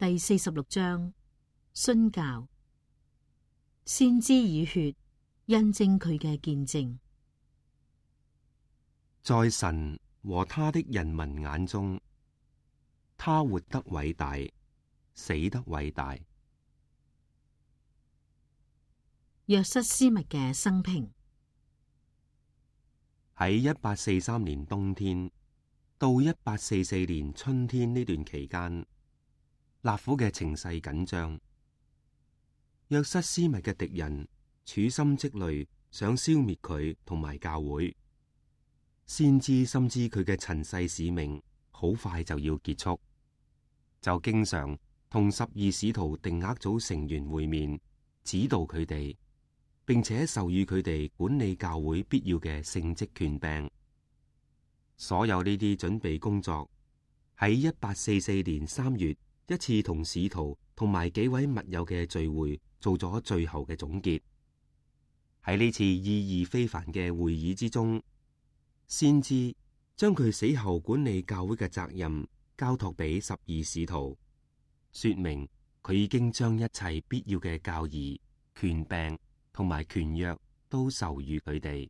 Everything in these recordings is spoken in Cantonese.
第46章，殉教。先知以血印證佢嘅見證。在神和他的人民眼中，他活得偉大，死得偉大。約瑟斯密嘅生平。喺1843年冬天到1844年春天呢段期間，納府嘅情勢緊張。約瑟斯密嘅敵人處心積慮，想消滅佢同埋教會。先知深知佢嘅塵世使命好快就要結束，就經常同12使徒定額組成員會面，指導佢哋，並且授予佢哋管理教會必要嘅聖職權柄。所有呢啲準備工作喺1844年3月一次同使徒同埋幾位密友嘅聚會做咗最後嘅總結。喺呢次意義非凡嘅會議之中，先知將佢死後管理教會嘅責任交託俾12使徒，說明佢已經將一切必要嘅教義、權柄同埋權約都授予佢哋。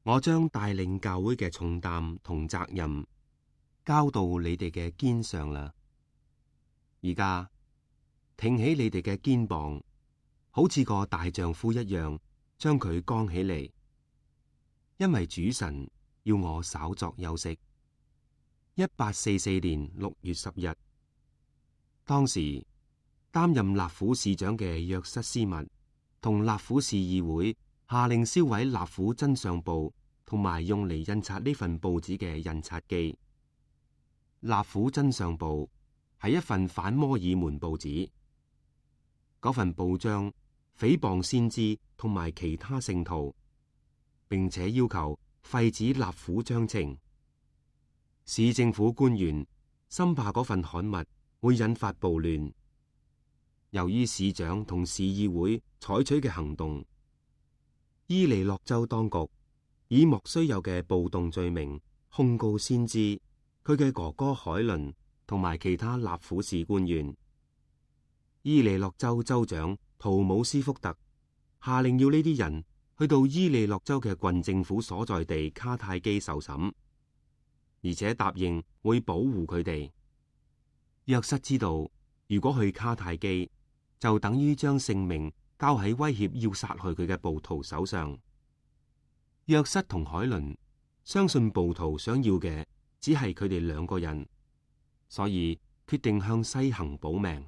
我將帶領教會嘅重擔同責任交到你哋嘅肩上啦。而家挺起你哋嘅肩膀，好似個大丈夫一樣，將佢剛起嚟。因為主神要我稍作休息。1844年6月10日，當時擔任納府市長嘅約瑟斯密同納府市議會下令燒毀納府真相報同埋用嚟印刷呢份報紙嘅印刷機。納府真相報係一份反摩爾門報紙，嗰份報章誹謗先知同埋其他聖徒，並且要求廢止納府章程。市政府官員深怕嗰份刊物會引發暴亂。由於市長同市議會採取嘅行動，伊利諾州當局以莫須有嘅暴動罪名控告先知、佢嘅哥哥海倫同埋其他納府市官員。伊利諾州州長圖姆斯福特下令要呢啲人去到伊利諾州嘅郡政府所在地卡泰基受審，而且答應會保護佢哋。約瑟知道，如果去卡泰基，就等於將性命交喺威脅要殺害佢嘅暴徒手上。約瑟同海倫相信暴徒想要嘅只係佢哋2個人，所以決定向西行保命。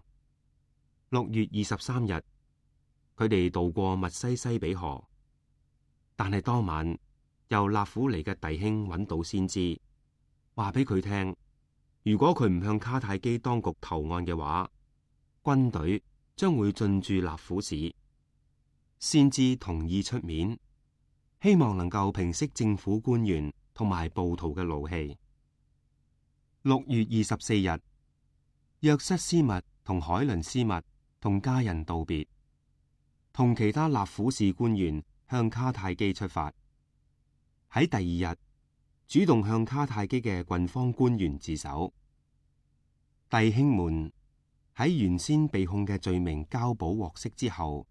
6月23日，佢哋渡過密西西比河。但係當晚，由納府嚟嘅弟兄揾到先知，話俾佢聽，如果佢唔向卡泰基當局投案嘅話，軍隊將會進駐納府市。先知同意出面，希望能夠平息政府官員同埋暴徒嘅怒氣。6月24日，約瑟斯密同海倫斯密同家人道別，同其他納府市官員向卡泰基出發。喺第2日，主動向卡泰基嘅郡方官員自首。弟兄們喺原先被控嘅罪名交保獲釋之後，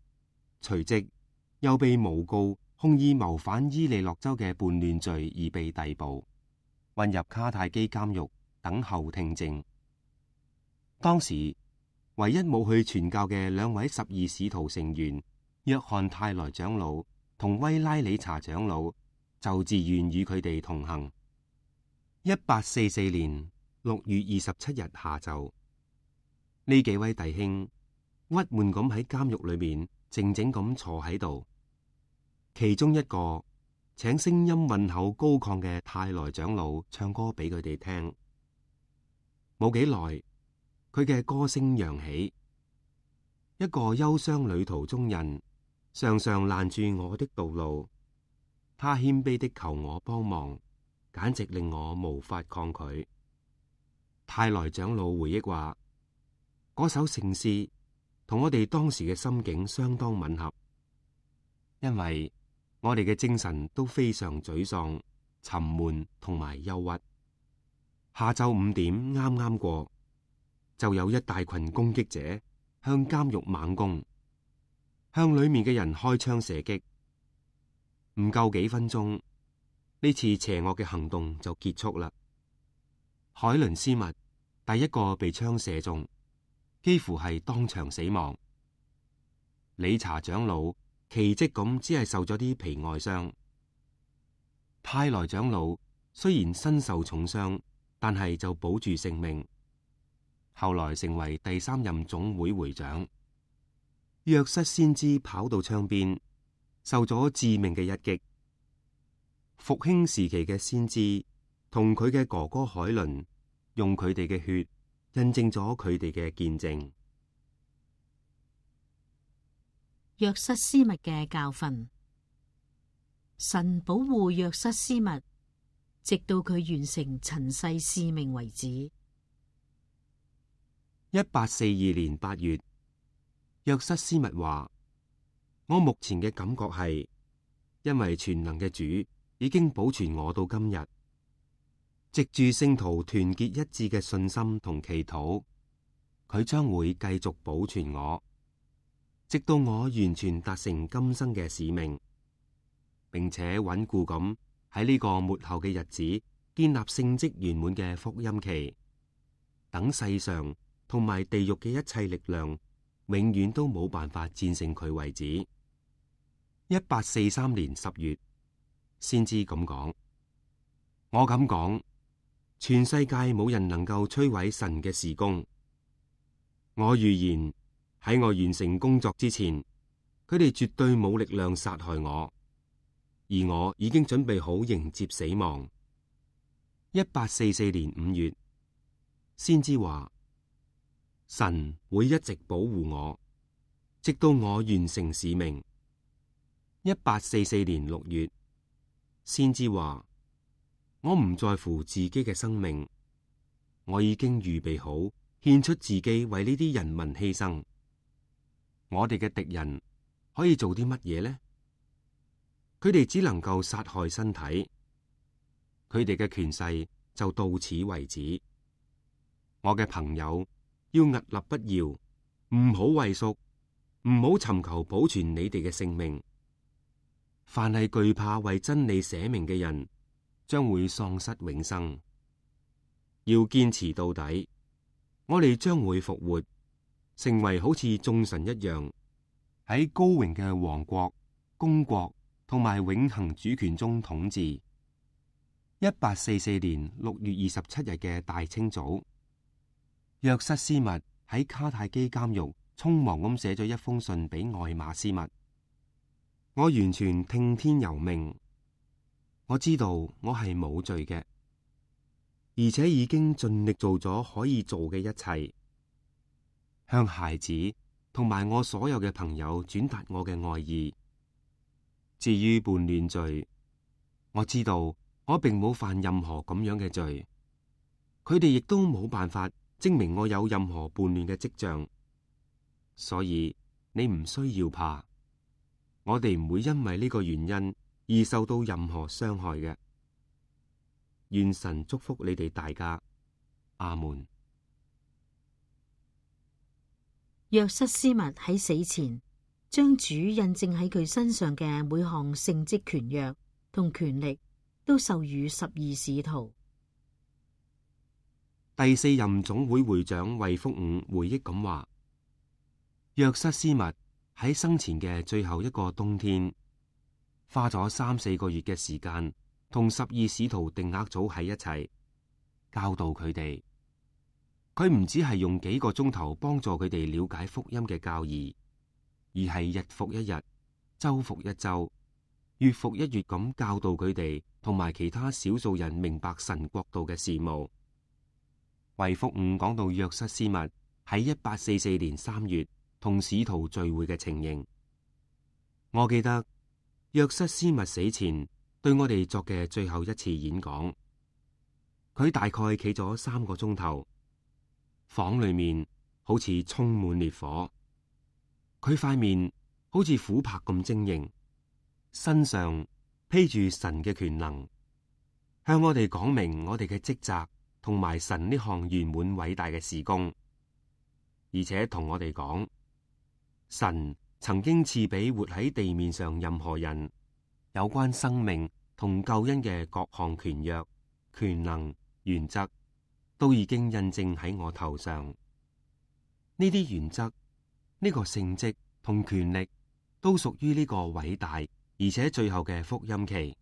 隨即又被誣告控以謀反伊利諾州嘅叛亂罪而被逮捕，混入卡泰基監獄等候聽證。當時唯一冇去傳教嘅2位12使徒成員約翰泰萊長老同威拉理查長老就自願與佢哋同行。1844年6月27日下晝，呢幾位弟兄鬱悶咁喺監獄裏面靜靜咁坐喺度。其中一個請聲音渾厚高亢嘅泰萊長老唱歌俾佢哋聽。冇幾耐，佢嘅歌聲揚起。一個憂傷旅途中人常常攔住我的道路，他謙卑的求我幫忙，簡直令我無法抗拒。泰萊長老回憶話，嗰首聖詩同我哋當時嘅心境相當吻合，因為我哋嘅精神都非常沮喪、沉悶同埋憂鬱。下晝5點啱啱過，就有一大群攻擊者向監獄猛攻，向裏面嘅人開槍射擊。唔夠幾分鐘，呢次邪惡嘅行動就結束啦。海倫斯密第一個被槍射中，幾乎係當場死亡。理查長老奇蹟咁只係受咗啲皮外傷。泰萊長老雖然身受重傷，但係就保住性命，後來成為第3任總會會長。約瑟先知跑到窗邊，受咗致命嘅一擊。復興時期嘅先知同佢嘅哥哥海倫，用佢哋嘅血印證咗佢哋嘅見證。約瑟斯密嘅教訓，神保護約瑟斯密，直到佢完成塵世使命為止。1842年8月，約瑟斯密話：我目前嘅感覺係，因為全能嘅主已經保存我到今日，藉住聖徒團結一致嘅信心同祈禱，佢將會繼續保存我，直到我完全達成今生嘅使命，並且穩固咁喺呢個末後嘅日子建立聖職圓滿嘅福音期，等世上同埋地獄嘅一切力量永遠都冇辦法戰勝佢為止。1843年10月，先知咁講：我咁講，全世界冇人能夠摧毀神嘅事工。我預言喺我完成工作之前，佢哋絕對冇力量殺害我，而我已經準備好迎接死亡。1844年5月，先知話：神會一直保護我，直到我完成使命。1844年6月，先知話：我唔在乎自己嘅生命，我已經預備好獻出自己為呢啲人民犧牲。我哋嘅敵人可以做啲乜嘢呢？佢哋只能夠殺害身體，佢哋嘅權勢就到此為止。我嘅朋友要屹立不搖，唔好畏縮，唔好尋求保存你哋嘅性命。凡係懼怕為真理捨命嘅人，將會喪失永生。要堅持到底，我哋將會復活，成為好似眾神一樣，喺高榮嘅王國、公國同埋永恆主權中統治。1844年6月27日嘅大清早，約瑟斯密喺卡泰基監獄匆忙咁寫咗一封信俾愛馬斯密。我完全聽天由命，我知道我係冇罪嘅，而且已經盡力做咗可以做嘅一切，向孩子同埋我所有嘅朋友轉達我嘅愛意。至於叛亂罪，我知道我並冇犯任何咁樣嘅罪，佢哋亦都冇辦法證明我有任何叛亂嘅跡象，所以你唔需要怕，我哋唔會因為呢個原因而受到任何傷害嘅。願神祝福你哋大家，阿門。約瑟斯密喺死前將主印證喺佢身上嘅每項聖職權約同權力都授予12使徒。第4任總會會長衛福伍回憶咁話：約瑟斯密喺生前嘅最後一個冬天，花咗3-4個月嘅時間，同12使徒定額組喺一齊，教導佢哋。佢唔只係用幾個鐘頭幫助佢哋了解福音嘅教義，而係日復一日、周復一周、月復一月咁教導佢哋同埋其他少數人明白神國度嘅事務。衛福伍講到約瑟斯密喺1844年3月同使徒聚會嘅情形，我記得約瑟斯密死前對我哋作嘅最後一次演講，佢大概企咗3個鐘頭，房裏面好似充滿烈火，佢塊面好似琥珀咁晶瑩，身上披住神嘅權能，向我哋講明我哋嘅職責同埋神呢項圓滿偉大嘅事工。而且同我哋講，神曾經賜俾活喺地面上任何人有關生命同救恩嘅各項權約、權能、原則，都已經印證喺我頭上。呢啲原則、呢個聖職同權力，都屬於呢個偉大而且最後嘅福音期，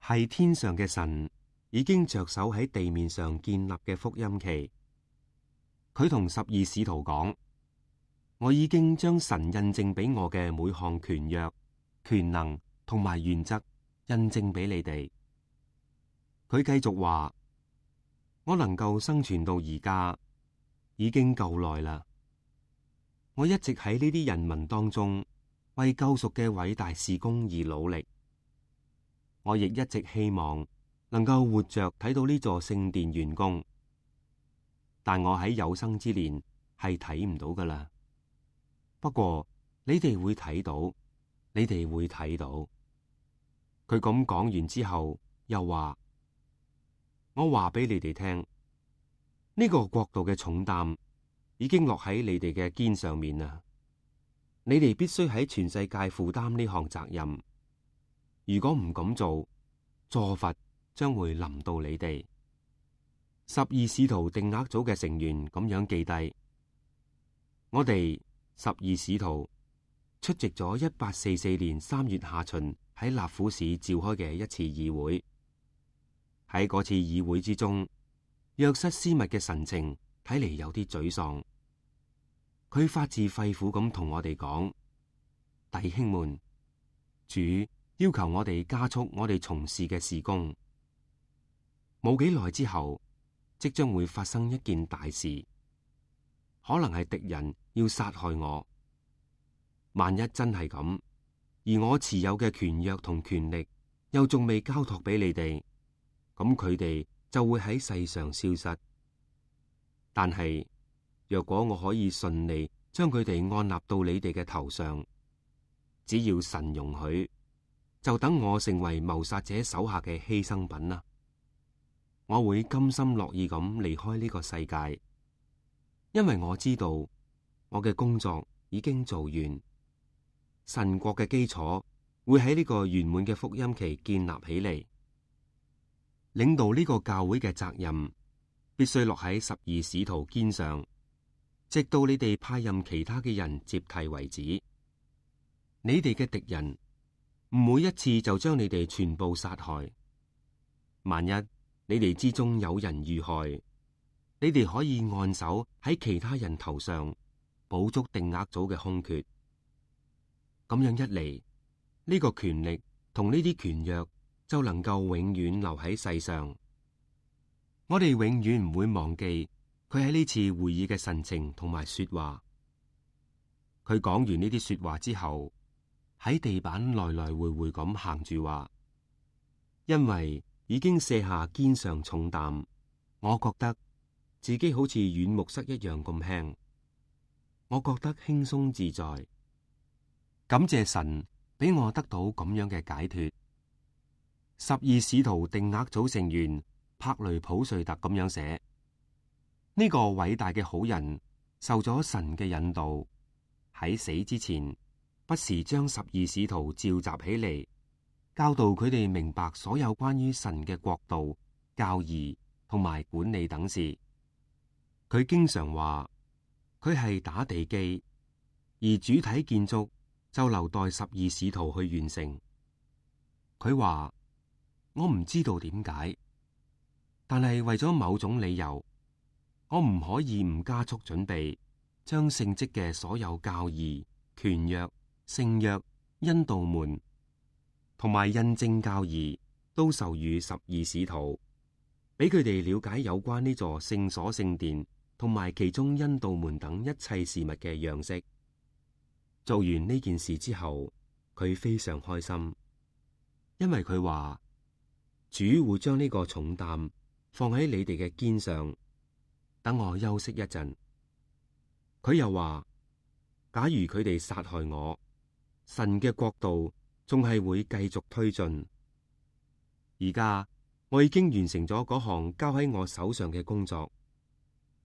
係天上嘅神已經着手喺地面上建立嘅福音期。佢同12使徒講：我已經將神印證俾我嘅每項權約、權能同埋原則印證俾你哋。佢繼續話：我能夠生存到而家已經夠耐啦。我一直喺呢啲人民當中為救贖嘅偉大事工而努力。我亦一直希望能夠活着睇到呢座聖殿完工，但我喺有生之年係睇唔到噶啦。不過你哋會睇到，你哋會睇到。佢咁講完之後，又話：我話俾你哋聽，呢個國度嘅重擔已經落喺你哋嘅肩上面啦。你哋必須喺全世界負擔呢項責任。如果唔咁做，詛罰將會臨到你哋。12使徒定額組嘅成員咁樣記低：我哋12使徒出席咗1844年3月下旬喺納府市召開嘅一次議會。喺嗰次議會之中，約瑟斯密嘅神情睇嚟有啲沮喪。佢發自肺腑咁同我哋講：弟兄們，主要求我哋加速我哋從事嘅事工。冇幾耐之後，即將會發生一件大事，可能係敵人要殺害我。萬一真係咁，而我持有嘅權約同權力又仲未交託俾你哋，咁佢哋就會喺世上消失。但係若果我可以順利將佢哋按立到你哋嘅頭上，只要神容許，就等我成為謀殺者手下嘅犧牲品啦。我會甘心樂意咁離開呢個世界，因為我知道我嘅工作已經做完，神國嘅基礎會喺呢個圓滿嘅福音期建立起嚟。領導呢個教會嘅責任必須落喺12使徒肩上，直到你哋派任其他嘅人接替為止。你哋嘅敵人唔會一次就將你哋全部殺害。萬一你哋之中有人遇害，你哋可以按手喺其他人頭上，補足定額組嘅空缺。咁樣一嚟，呢個權力同呢啲權約就能夠永遠留喺世上。我哋永遠唔會忘記佢喺呢次會議嘅神情同埋說話。佢講完呢啲說話之後，喺地板來來回回咁行住話，因為已經卸下肩上重擔，我覺得自己好似軟木塞一樣咁輕，我覺得輕鬆自在。感謝神俾我得到咁樣嘅解脫。12使徒定額組成員柏雷普瑞特咁樣寫：呢個偉大嘅好人受咗神嘅引導，喺死之前不時將12使徒召集起嚟，教導佢哋明白所有關於神嘅國度、教義同埋管理等事。佢經常話佢係打地基，而主體建築就留待12使徒去完成。佢話：我唔知道點解，但係為咗某種理由，我唔可以唔加速準備，將聖職嘅所有教義、權約、聖約、恩道門同埋印證教義都授予12使徒，俾佢哋了解有關呢座聖所聖殿同埋其中恩道門等一切事物嘅樣式。做完呢件事之後，佢非常開心，因為佢話主會將呢個重擔放喺你哋嘅肩上，等我休息一陣。佢又話，假如佢哋殺害我，神嘅國度仲係會繼續推進。而家我已經完成咗嗰項交喺我手上嘅工作，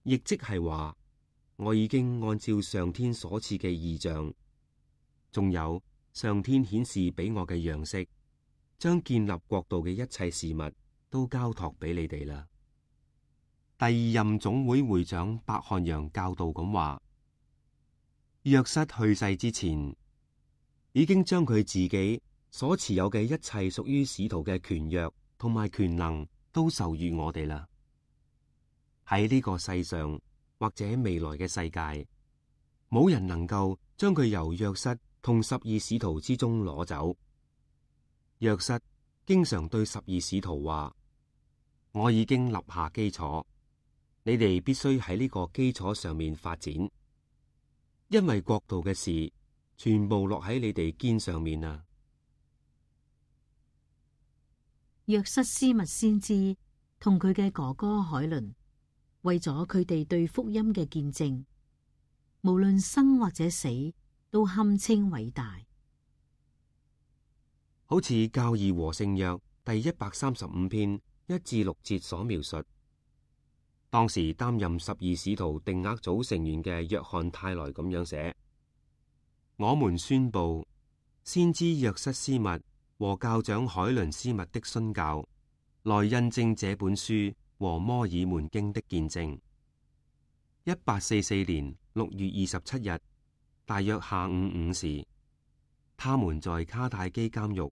亦即係話我已經按照上天所賜嘅異象，仲有上天顯示俾我嘅樣式，將建立國度嘅一切事物都交託俾你哋啦。第二任總會會長伯漢揚教導咁話：約瑟去世之前，已經將佢自己所持有嘅一切屬於使徒嘅權約同埋權能都授予我哋啦。喺呢個世上或者未來嘅世界，冇人能夠將佢由約瑟同12使徒之中攞走。約瑟經常對12使徒話：我已經立下基礎，你哋必須喺呢個基礎上面發展，因為國度嘅事全部落喺你哋肩上面啊。約瑟斯密先知同佢嘅哥哥海倫，為咗佢哋對福音嘅見證，無論生或者死，都堪稱偉大。好似教義和聖約第135篇1至6節所描述，當時擔任12使徒定額組成員嘅約翰泰萊咁樣寫：我們宣布先知約瑟斯密和教長海倫斯密的殉教，來印證這本書和摩爾門經的見證。1844年6月27日，大約下午5時，他們在卡泰基監獄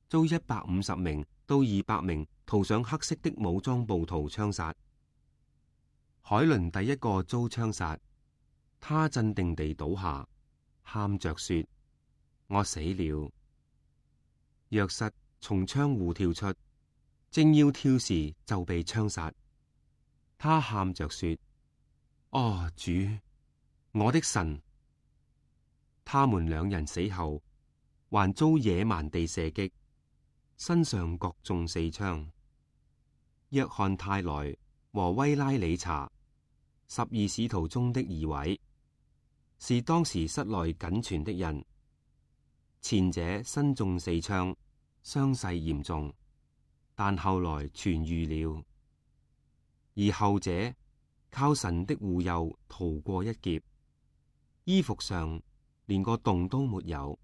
遭150名到200名塗上黑色的武裝暴徒槍殺。海倫第一個遭槍殺，他鎮定地倒下，喊着說：我死了。約瑟從窗戶跳出，正要跳時就被槍殺。他喊着說：哦，主，我的神！他們兩人死後，還遭野蠻地射擊，身上各中4槍。約翰泰萊和威拉理查，12使徒中的2位，是當時室內僅存的人。前者身中4槍，傷勢嚴重，但後來痊癒了；而後者靠神的護佑逃過一劫，衣服上連個洞都沒有。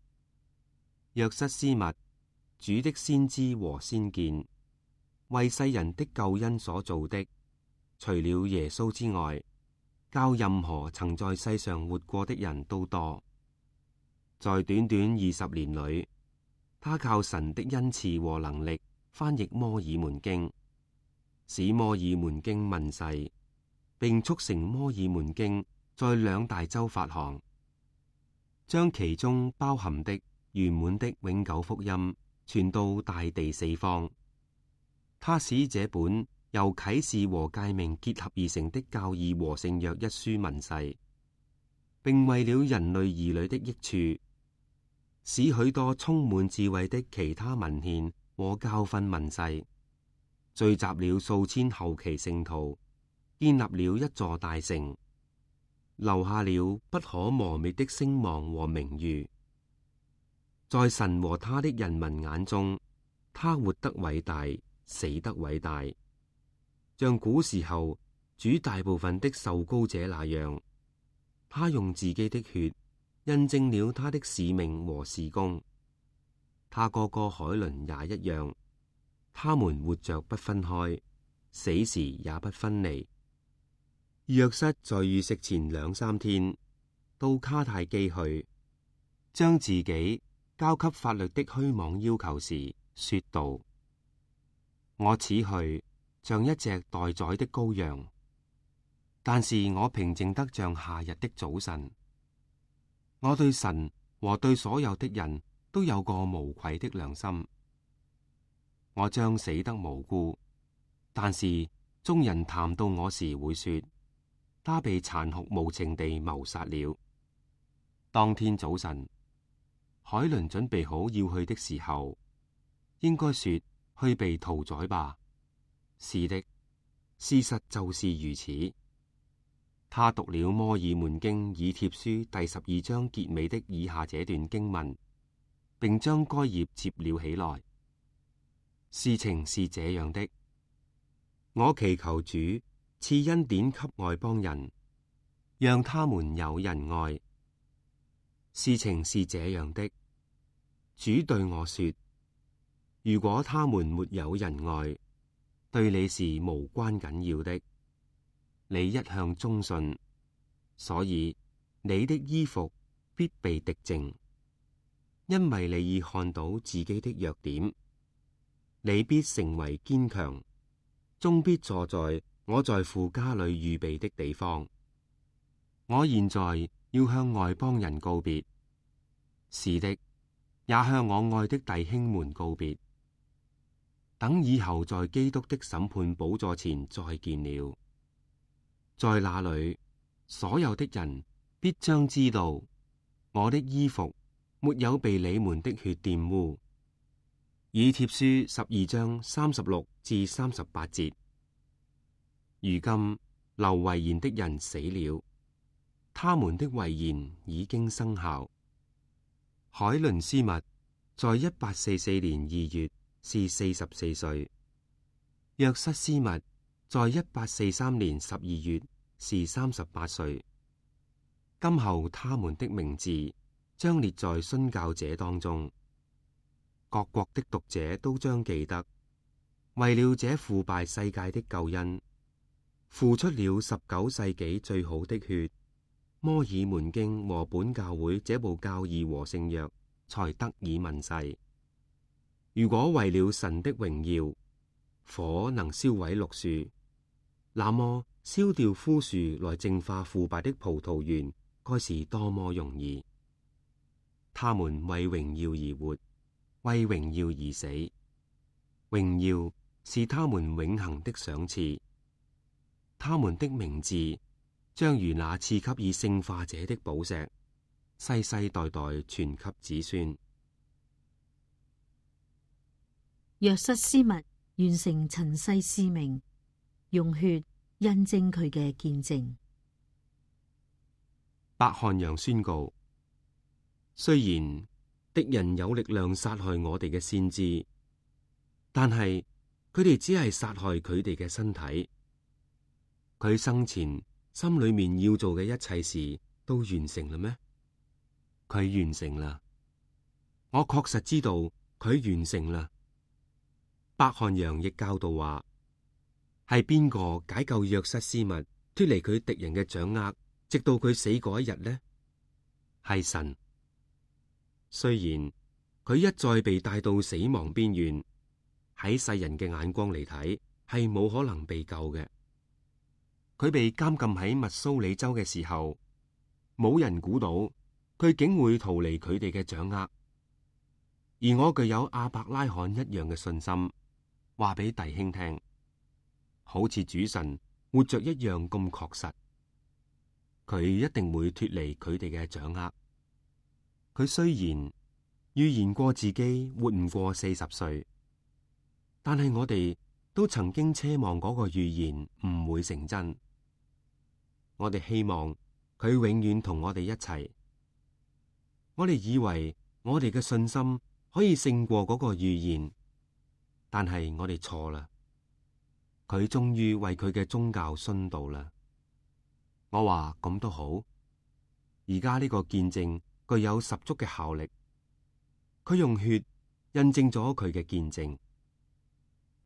約瑟斯密，主的先知和先見，為世人的救恩所做的，除了耶穌之外，較任何曾在世上活過的人都多。在短短20年裏，他靠神的恩賜和能力翻譯摩爾門經，使摩爾門經問世，並促成摩爾門經在2大洲發行，將其中包含的圓滿的永久福音傳到大地4方。他使這本由啟示和誡命結合而成的教義和聖約一書問世，並為了人類兒女的益處，使許多充滿智慧的其他文獻和教訓問世，聚集了數千後期聖徒，建立了一座大城，留下了不可磨滅的聲望和名譽。在神和他的人民眼中，他活得偉大，死得偉大，像古時候主大部分的受膏者那樣。他用自己的血印證了他的使命和事工。他哥哥海倫也一樣，他們活着不分開，死時也不分離。約瑟在遇食前2-3天到卡泰基去，將自己交給法律的虛妄要求時，說道：我此去像一隻待宰的羔羊，但是我平靜得像夏日的早晨。我對神和對所有的人都有個無愧的良心。我將死得無辜，但是眾人談到我時會說，他被殘酷無情地謀殺了。當天早晨，海倫準備好要去的時候，應該說去被屠宰吧。是的，事實就是如此。他讀了摩爾門經以帖書第12章結尾的以下這段經文，並將該頁接了起來。事情是這樣的：我祈求主賜恩典給外邦人，讓他們有仁愛。事情是這樣的，主對我說：如果他們沒有仁愛，對你是無關緊要的。你一向忠信，所以你的衣服必被滌淨，因為你已看到自己的弱點。你必成為堅強，終必坐在我在父家裏預備的地方。我現在要向外邦人告別，是的，也向我愛的弟兄們告別。等以後在基督的審判寶座前再見了，在那裏所有的人必將知道，我的衣服沒有被你們的血玷污。以帖書12章36至38節。如今留遺言的人死了，他們的遺言已經生效。海倫斯密在1844年2月是44歲，約瑟斯密在1843年12月是38歲。今後他們的名字將列在殉教者當中，各國的讀者都將記得，為了這腐敗世界的救恩，付出了19世紀最好的血。摩爾門經和本教會這部教義和聖約才得以問世。如果為了神的榮耀，火能燒毀綠樹，那麼燒掉枯樹來淨化腐敗的葡萄園，該是多麼容易。他們為榮耀而活，為榮耀而死，榮耀是他們永恆的賞賜。他們的名字將如那賜給以聖化者的寶石，世世代代傳給子孫。約瑟斯密完成塵世使命，用血印證佢嘅見證。伯漢揚宣告：雖然敵人有力量殺害我哋嘅先知，但係佢哋只係殺害佢哋嘅身體。佢生前心裏面要做嘅一切事都完成啦咩？佢完成啦，我確實知道佢完成啦。伯漢揚亦教導話：係邊個解救約瑟斯密脫離佢敵人嘅掌握，直到佢死嗰一日呢？係神。雖然佢一再被帶到死亡邊緣，喺世人嘅眼光嚟睇係冇可能被救嘅。佢被監禁喺密蘇里州嘅時候，冇人估到佢竟會逃離佢哋嘅掌握。而我具有亞伯拉罕一樣嘅信心，話俾弟兄聽，好似主神活着一樣咁確實，佢一定會脫離佢哋嘅掌握。佢雖然預言過自己活唔過40歲，但係我哋都曾經奢望嗰個預言唔會成真。我哋希望佢永遠同我哋一齊。我哋以為我哋嘅信心可以勝過嗰個預言，但係我哋錯啦。佢終於為佢嘅宗教殉道啦。我話咁都好，而家呢個見證具有十足嘅效力。佢用血印證咗佢嘅見證。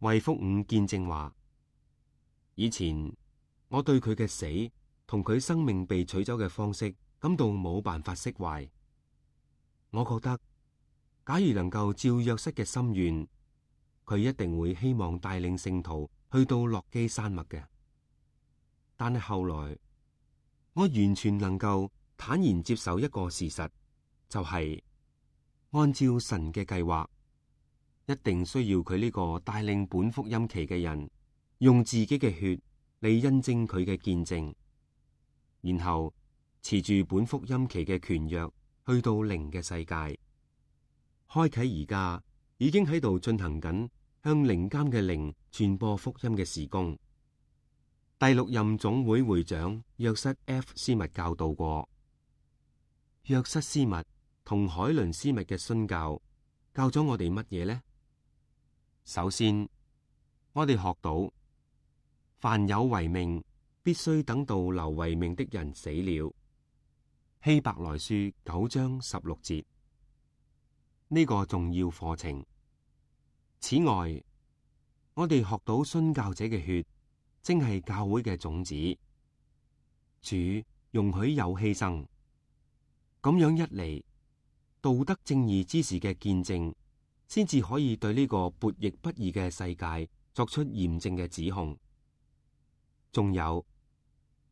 衛福五見證話：以前我對佢嘅死同佢生命被取走嘅方式感到冇辦法釋懷。我覺得，假如能夠照約瑟嘅心願，佢一定會希望帶領聖徒去到洛基山脈嘅。但係後來，我完全能夠坦然接受一個事實，就係按照神嘅計劃，一定需要佢呢個帶領本福音期嘅人，用自己嘅血嚟印證佢嘅見證，然後持住本福音期嘅權約，去到靈嘅世界，開啟而家已經喺度進行緊向靈監嘅靈傳播福音嘅事工。第6任總會會長約瑟 F. 斯密教導過，約瑟斯密同海倫斯密嘅殉教教咗我哋乜嘢呢？首先，我哋學到凡有遺命必須等到留遺命的人死了。希伯來書9章16節。呢個重要課程。此外，我哋學到殉教者嘅血，正係教會嘅種子。主容許有犧牲，咁樣一嚟，道德正義之士嘅見證，先至可以對呢個悖逆不義嘅世界作出嚴正嘅指控。仲有，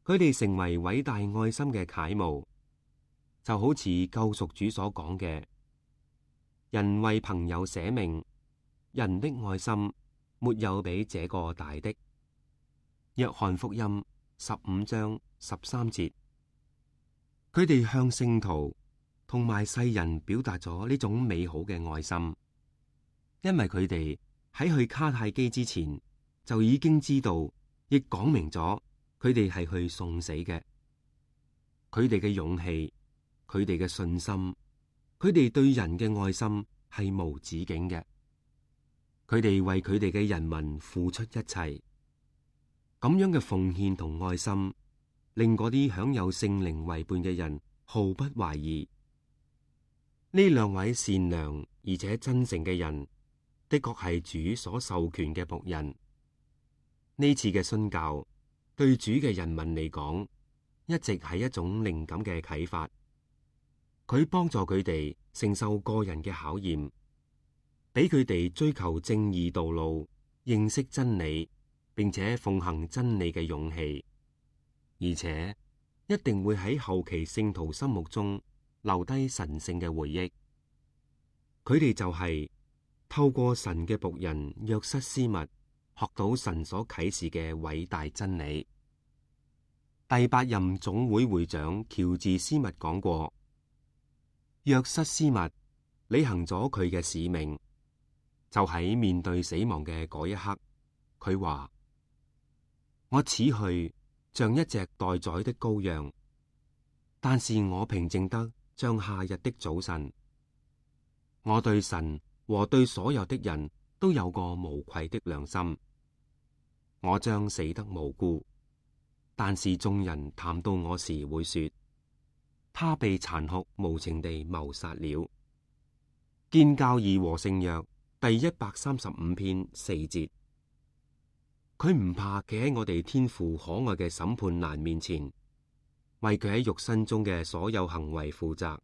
佢哋成為偉大愛心嘅楷模，就好似救贖主所講嘅：人為朋友捨命，人的愛心沒有比這個大的。約翰福音15章13節。佢哋向聖徒同埋世人表達咗呢種美好嘅愛心，因為佢哋喺去卡泰基之前就已經知道，亦講明咗佢哋係去送死嘅。佢哋嘅勇氣，佢哋嘅信心，佢哋對人嘅愛心係無止境嘅。佢哋為佢哋嘅人民付出一切，咁樣嘅奉獻同愛心，令嗰啲享有聖靈為伴嘅人毫不懷疑。呢兩位善良而且真誠嘅人，的確係主所授權嘅僕人。呢次嘅殉教對主嘅人民嚟講，一直係一種靈感嘅啟發。佢幫助佢哋承受個人嘅考驗，俾佢哋追求正義道路、認識真理，並且奉行真理嘅勇氣。而且一定會喺後期聖徒心目中留低神聖嘅回憶。佢哋就係透過神嘅僕人約瑟斯密學到神所啟示嘅偉大真理。第8任總會會長喬治斯密講過，約瑟斯密履行咗佢嘅使命，就喺面對死亡嘅嗰一刻，佢話：我此去像一隻待宰的羔羊，但是我平靜得像夏日的早晨。我對神和對所有的人都有個無愧的良心。我將死得無辜，但是眾人談到我時會說，他被殘酷無情地謀殺了。建教義和聖約第135篇4節。佢唔怕企喺我哋天父可愛嘅審判欄面前，為佢喺肉身中嘅所有行為負責。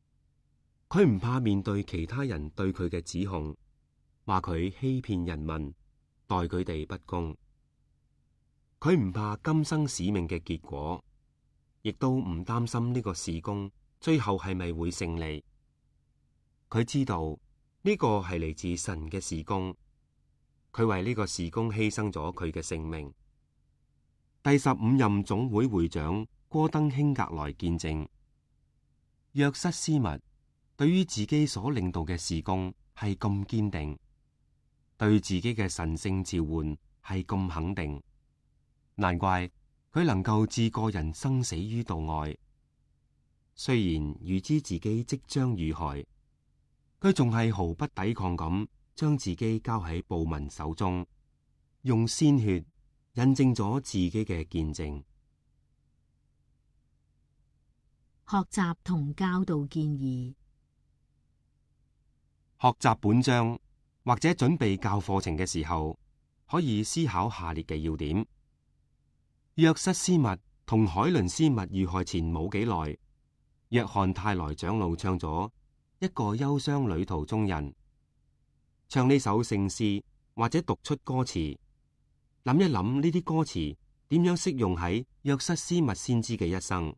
佢唔怕面對其他人對佢嘅指控，話佢欺騙人民，待佢哋不公。佢唔怕今生使命嘅結果，亦都唔擔心呢個事工最後係咪會勝利。佢知道呢個係嚟自神嘅事工。佢為呢個事工犧牲咗佢嘅性命。第15任總會會長戈登興格萊見證，約瑟斯密對於自己所領導嘅事工係咁堅定，對自己嘅神聖召喚係咁肯定，難怪佢能夠置個人生死於度外。雖然預知自己即將遇害，佢仲係毫不抵抗咁將自己交喺暴民手中，用鮮血印證咗自己嘅見證。學習同教導建議。學習本章或者準備教課程嘅時候，可以思考下列嘅要點。約瑟斯密同海倫斯密遇害前冇幾耐，約翰泰萊長老唱咗一個憂傷旅途中人。唱呢首聖詩或者讀出歌詞，諗一諗呢啲歌詞點樣適用喺約瑟斯密先知嘅一生？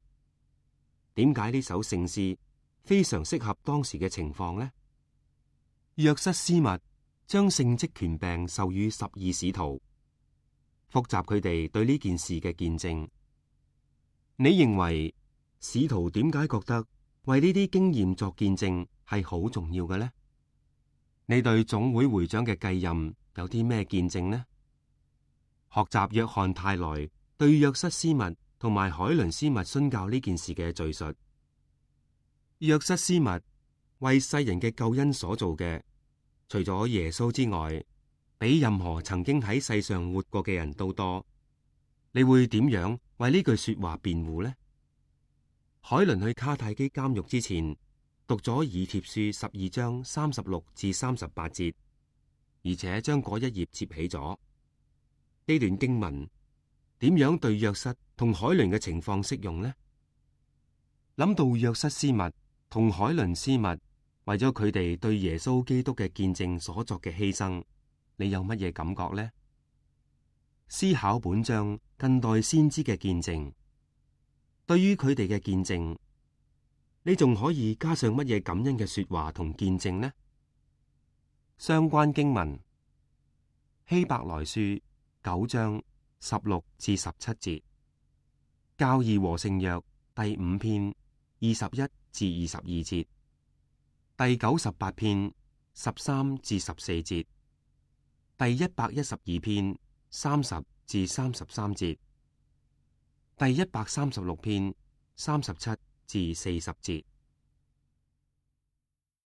點解呢首聖詩非常適合當時嘅情況呢？約瑟斯密將聖職權柄授予12使徒，複習佢哋對呢件事嘅見證。你認為使徒點解覺得為呢啲經驗作見證係好重要嘅呢？你對總會會長嘅繼任有啲咩見證呢？學習約翰泰萊對約瑟斯密同埋海倫斯密殉教呢件事嘅敘述。約瑟斯密為世人嘅救恩所做嘅，除咗耶穌之外，比任何曾經喺世上活過嘅人都多。你會點樣為呢句說話辯護呢？海倫去卡泰基監獄之前，讀咗以帖書12章36至38節，而且將嗰一頁接起咗。呢段經文點樣對約瑟同海倫嘅情況適用呢？諗到約瑟斯密同海倫斯密為咗佢哋對耶穌基督嘅見證所作嘅犧牲，你有乜嘢感覺呢？思考本章近代先知嘅見證，對於佢哋嘅見證，你仲可以加上乜嘢感恩嘅說話同見證呢？相關經文：希伯來書9章16至17節，教義和聖約第5篇21至22節，第98篇13至14節，第112篇30至33節，第136篇37至40節。